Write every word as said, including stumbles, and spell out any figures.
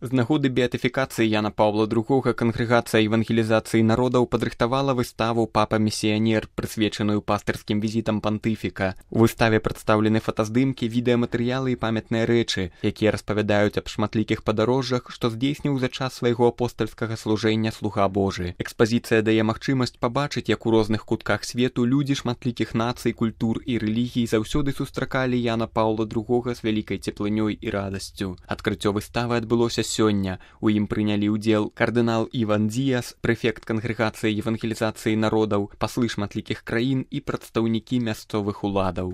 З нагоды беатыфікацыі Яна Паўла другога кангрэгацыя евангелізацыі народаў падрыхтавала выставу «Папа-місіянер», прысвечаную пастырскім візітам пантыфіка. У выставе прадстаўлены фотаздымкі, відэаматэрыялы і памятныя рэчы, якія распавядаюць аб шматлікіх падарожжах, што здзейсніў за час свайго апостальскага служэння слуга Божы. Экспазіцыя дае магчымасць пабачыць, як у розных кутках свету людзі шматлікіх нацый, культур і рэлігій заўсёды сустракалі Яна Паўла другога з вялікай цеплынёй і радасцю. Адкрыццё выставы адбылося сёння. У ім прынялі ўдзел кардынал Іван Дзіяс, прэфект кангрэгацыі евангелізацыі народаў, паслы шматлікіх краін і прадстаўнікі мясцовых уладаў.